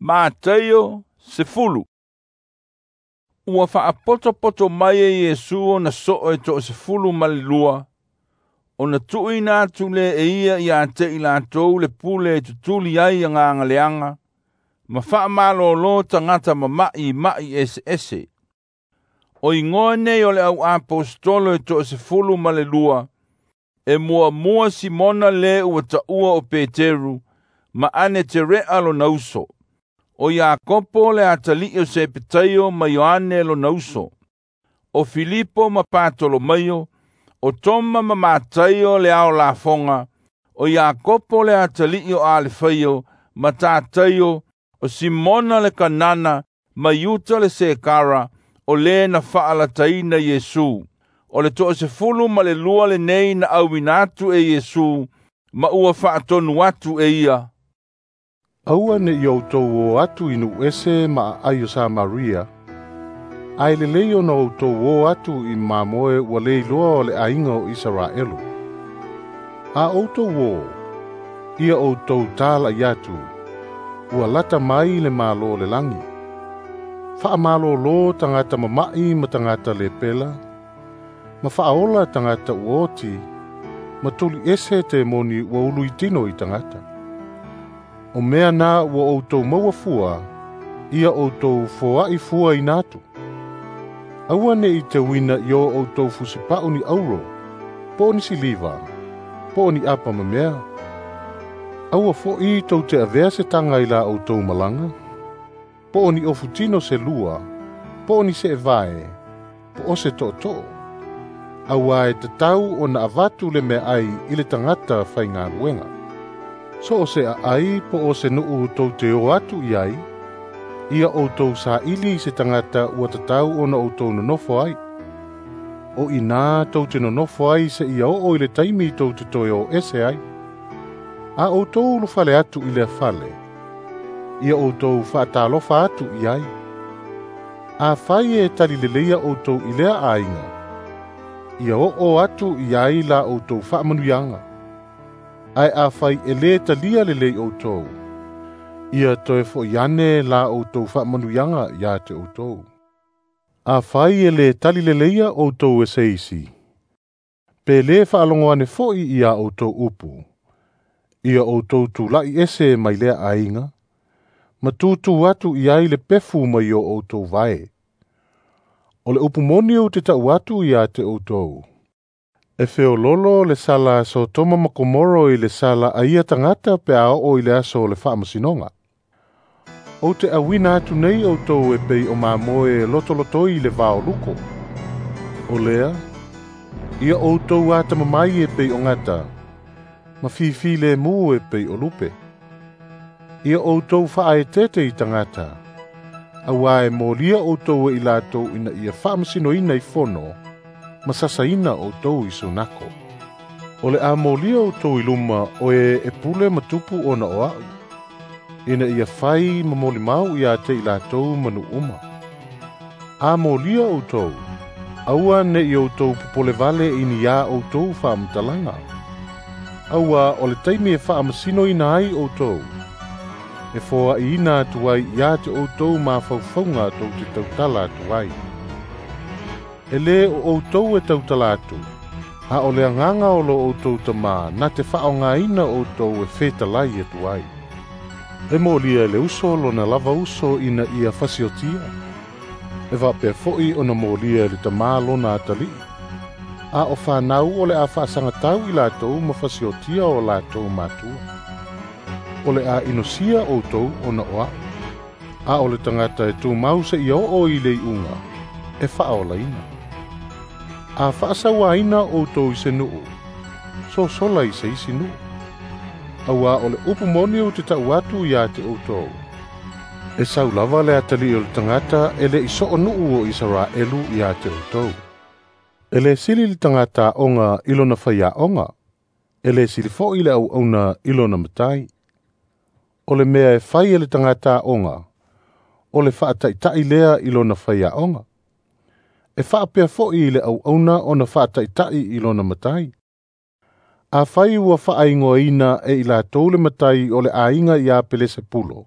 Mataio 10. Ua faapotopoto mai e Iesu ona soo e 12, ona tuuina atu lea e ia ia te i latou le pule e tutuli ai agaga leaga, ma faamalōlō tagata mama'i i ma'i eseese. O igoa nei o le au aposetolo e 12, e muamua Simona le ua taua o Peteru, ma Aneterea lona uso. O Iakopo le atalii o Sepetaio ma Ioane lona uso. O Filipo ma Patolomaio, o Toma ma Mataio le ao lafoga, o Iakopo le atalii o Alefaio ma Tataio, o Simona le Kanana ma Iuta le Sekara, o le na faalataina Iesu. O le 12 lenei na auina atu e Iesu, ma ua faatonu atu e ia. Aua ne i outou o atu i nuu ese ma aai o Samaria, ae lelei ona outou o atu i mamoe ua le iloa o le aiga o Isaraelu. A outou o, ia outou tala'i atu, ua lata mai le Malo o le lagi. Faamalōlō tagata mama'i ma tagata lepela, ma faaola tagata ua oti, ma tuliese temoni ua uluitino i tagata. O mea na ua outou maua fua, ia outou foa'i fua ina atu. Aua ne i teuina i o outou fusipa'u ni auro, po o ni siliva, po o ni apa ma mea. Aua fo'i tou te avea se taga i la outou malaga, po o ni ofutino se lua, po o ni seevae, po o se tootoo. Auā e tatau ona avatu le meaai i le tagata faigaluega. So o se aai po o se nuu tou te o atu i ai, ia outou saili i se tagata ua tatau ona outou nonofo ai. O inā tou te nonofo ai seia oo i le taimi tou te toe o ese ai. A outou ulufale atu i lea fale, ia outou faatalofa atu i ai. Afai e talileleia outou i lea aiga, ia oo atu i ai la outou faamanuiaga. Ae afai e lē talia lelei outou, ia toe fo'i ane la outou faamanuiaga ia te outou. Afai e lē talileleia outou e se isi, pe lē faalogo ane fo'i ia outou upu, ia outou tula'i ese mai lea aiga, ma tutū atu i ai le pefu mai o outou vae. O le upu moni ou te ta'u atu ia te outou, e feololo le sala Sotoma ma Komoro i le sala a ia tagata pe a oo i le aso o le faamasinoga. Ou te auina atu nei outou e pei o mamoe e lotolotoi i le vaoluko. O lea, ia outou atamamai e pei o gata, ma fifi lemu e pei o lupe. Ia outou faaeteete i tagata, auā e molia outou e i latou ina ia faamasinoina i fono, ma sasaina outou i sunako. O le a molia outou i luma o e e pule ma tupu ona o a'u, ina ia fai ma molimau ia te i latou ma nuu uma. A molia outou, aua ne i outou popolevale i ni ā outou faamatalaga. Auā o le taimi e faamasinoina ai outou, e foa'iina atu ai ia te outou mafaufauga tou te tautala atu ai. E lē o outou e tautala atu, a o le agaga o lo outou Tamā na te faaaogāina outou e fetalai atu ai. E molia e le uso lona lava uso ina ia fasiotia, e faapea fo'i ona molia e le tamā lona atalii. A o fanau o le a faasagatau i latou ma fasiotia o latou matua. O le a inosia outou ona o a'u. A o le tagata e tumau seia oo i le iuga, e faaolaina. A faasauaina outou i se nuu, sosola i se isi nuu. Auā o le upu moni ou te ta'u atu ia te outou, e sau lava le atalii o le tagata e le'i soo nuu o Isaraelu ia te outou. E lē sili le tagata aoga i lona faiaoga, e lē sili fo'i le auauna i lona matai. O le mea e fai e le tagata aoga, o le faataita'i lea i lona faiaoga. E faapea fo'i i le auauna ona faataita'i i lona matai. Afai ua faaigoaina e i latou le matai o le aiga ia Pelesepulo,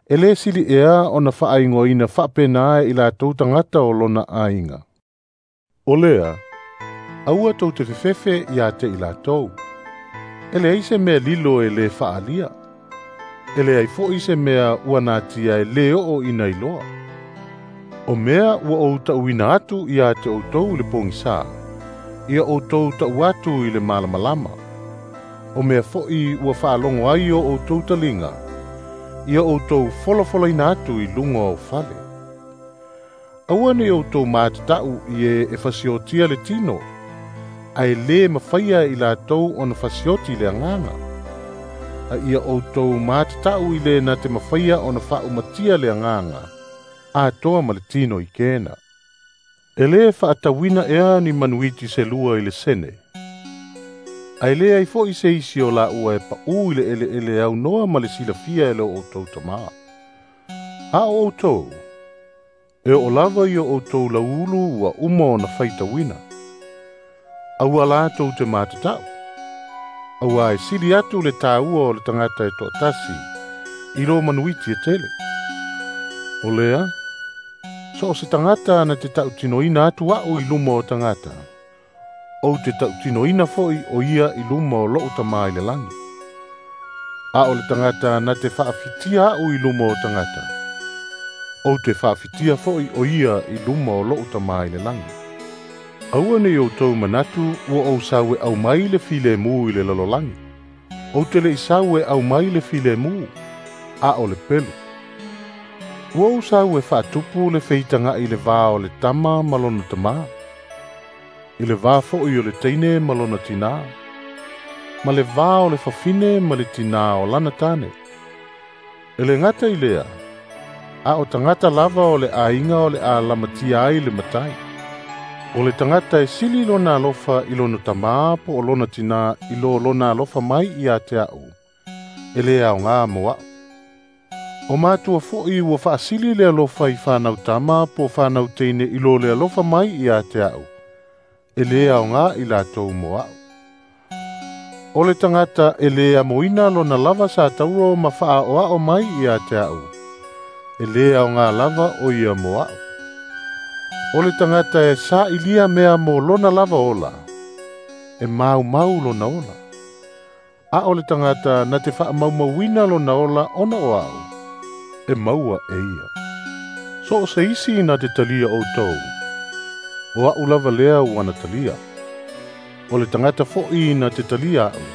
E le sili ea ona faaigoaina faapena e i latou tagata o lona aiga. O lea, aua tou te fefefe ia te i latou. E leai se mea lilo e le faalia. E leai fo'i se mea ua natia e lē oo ina iloa. O mea ua ou ta'uina atu ia te outou i le pogisā, ia outou ta'u atu i le malamalama. O mea fo'i ua faalogo ai o outou taliga, ia outou folafolaina atu i luga o fale. Aua ne i outou matata'u i e e fasiotia le tino, ae lē mafaia i latou ona fasioti le agaga. A ia outou matata'u i le na te mafaia ona faaumatia le agaga, atoa ma le tino i kena. E lē faatauina ea ni manuiti se lua i le sene. Ae leai fo'i se isi o laua e paʻū i le eleele aunoa ma le silafia e lo outou tamā. A o outou, e oo lava i o outou lauulu ua uma ona faitauina. Aua la tou te matata'u. Auā e sili atu le tāua o le tagata e toatasi i lo manuiti e tele. O lea, so o se tagata na te tautinoina atu a'u i luma o tagata, ou te tautinoina fo'i o ia i luma o lo'u tamā i le lagi. A o le tagata na te faafitia a'u i luma o tagata, ou te faafitia fo'i o ia i luma o lo'u tamā i le lagi. Aua nei outou manatu ua ou sau e aumai le filemu i le lalolagi. Ou te le'i sau e aumai le filemu, a o le pelu. Ua ou sau e faatupu le feitaga'i i le vā o le tama ma lona tamā, i le vā fo'i o le teine ma lona tinā, ma le vā o le fafine ma le tinā o lana tane. E le gata i lea, a o tagata lava o le aiga o le a lamatia ai le matai. O le tagata e sili lona alofa i lona tamā po o lona tinā i lo lona alofa mai ia te a'u, e lē aogā mo a'u. O matua fo'i ua faasili le alofa i fanau tama po o fanau teine i lo le alofa mai ia te a'u, e lē aogā i latou mo a'u. O le tagata e lē amoina lona lava sa tauro ma faaoao mai ia te a'u, e lē aogā lava o ia mo a'u. O le tagata e sa'ilia mea mo lona lava ola, e maumau lona ola. A o le tagata na te faamaumauina lona ola ona o a'u, e maua e ia. So o se isi na te talia outou, o a'u lava lea ua na talia. O le tagata fo'i na te talia a'u,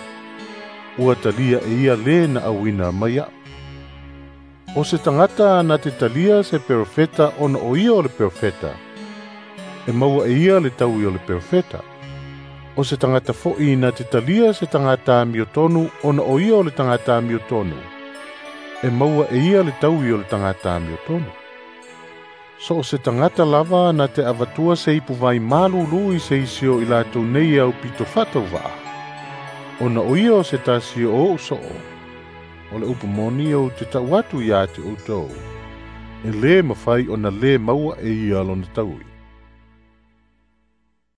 ua talia e ia lē na auina mai a'u. O se tagata na te talia se perofeta ona o ia o le perofeta, e maua e ia le taui o le perofeta. O se tagata fo'i na te talia se tagata amiotonu ona o ia o le tagata amiotonu, e maua e ia le taui o le tagata amiotonu. So o se tagata lava na te avatua se ipu vai malulu i se isi o i latou nei au pito faatauvaa, ona o ia o se tasi o o'u soo, o le upu moni ou te ta'u atu iā te outou, e lē mafai ona lē maua e ia lona taui.